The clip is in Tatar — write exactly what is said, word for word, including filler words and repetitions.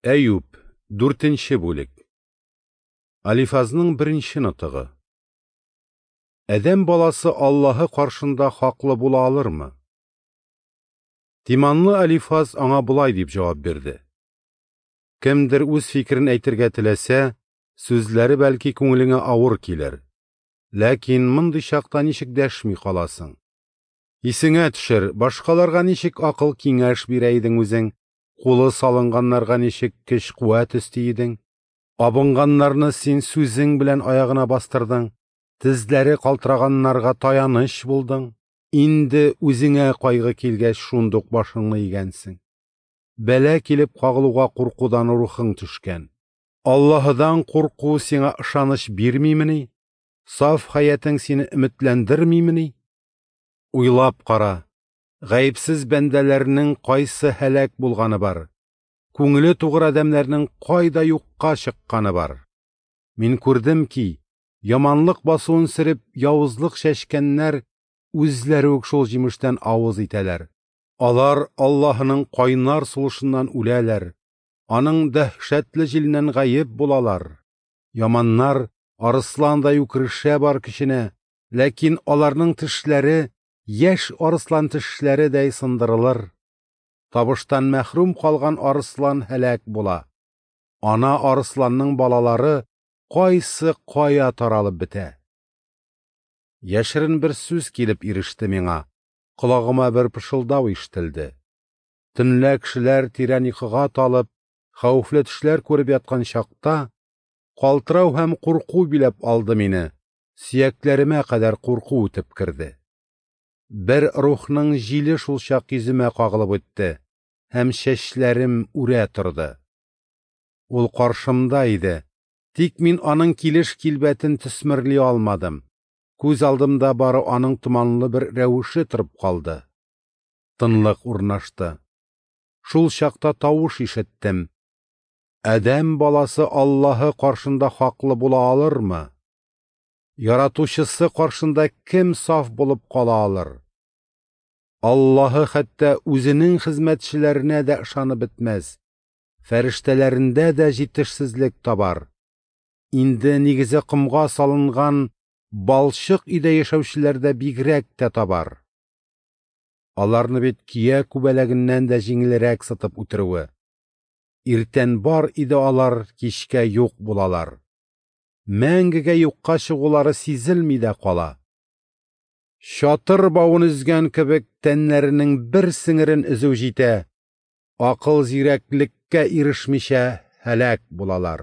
Әюп, дүртенче бүлек. Алифазның беренче нотыгы. Адәм баласы Аллаһы каршында хаклы була алырмы? Тиманлы Алифаз аңа болай дип җавап бирде: Кемдер үз фикерен әйтергә теләсә, сүзләре бәлки күңелеңә авыр килер. Ләкин мондый чакта ничек дәшми каласың? Исеңә төшер, башкаларга ничек акыл киңәш бирә идең үзең? Кулы салынганнарга ничек көч-куәт өсти идең? Абынганнарны син сүзең белән аягына бастырдың, тезләре калтыраганнарга таяныч булдың. Инде үзеңә кайгы килгәч, шундук башыңны игәнсең. Бәла килеп кагылуга куркудан рухың төшкән. Аллаһыдан курку сиңа ышаныч бирмимени? Саф хәятең сине өметләндермимени? Уйлап кара. Гаепсез бәндәләрнең кайсы һәлак булганы бар? Күңеле тугры адәмнәрнең кайда юкка чыкканы бар? Мин күрдем ки, яманлык басуын сөреп, явызлык чәчкәннәр үзләре үк шул җимештән авыз итәләр. Алар Аллаһының кайнар сулышыннан үләләр, аның дәһшәтле җиленнән гаеп булалар. Яманнар арысландай үкерешә бар көченә, ләкин аларның тешләре яшь арыслан тешләредәй сындырылыр. Табыштан мәхрүм калган арыслан һәлак була. Ана арысланның балалары кайсы кая таралып бетә. Яшерен бер сүз килеп иреште миңа, колагыма бер пышылдау ишетелде. Төнлә кешеләр тирән йокыга талып, хәвефле төшләр күреп яткан чакта, калтырау һәм курку биләп алды мине, сөякләремә кадәр курку үтеп керде. Бер рухның җиле шул чак йөземә кагылып үтте, һәм чәчләрем үрә торды. Ул каршымда иде, тик мин аның килеш килбәтен төсмерли алмадым. Күз алдымда бары аның томанлы бер рәвеше торып калды. Тынлык урнашты. Шул чакта тавыш ишеттем. Адәм баласы Аллаһы каршында хаклы була алырмы? Яратучысы каршында кем саф булып кала алыр? Аллаһы хәтта үзенең хезмәтчеләренә дә ышанып бетмәс, фәрештәләрендә дә җитешсезлек табар. Инде нигезе комга салынган балчык өйдә яшәүчеләр дә бигрәк тә табар. Аларны бит кия күбәләгеннән дә җиңелрәк сытып үтерүе. Иртән бар иде алар, кичкә юк булалар. Мәңгегә юкка чыгулары сизелми дә кала. Чатыр бавын өзгән кебек тәннәренең бер сеңерен өзү җитә, акыл зирәклеккә ирешмичә һәлак булалар.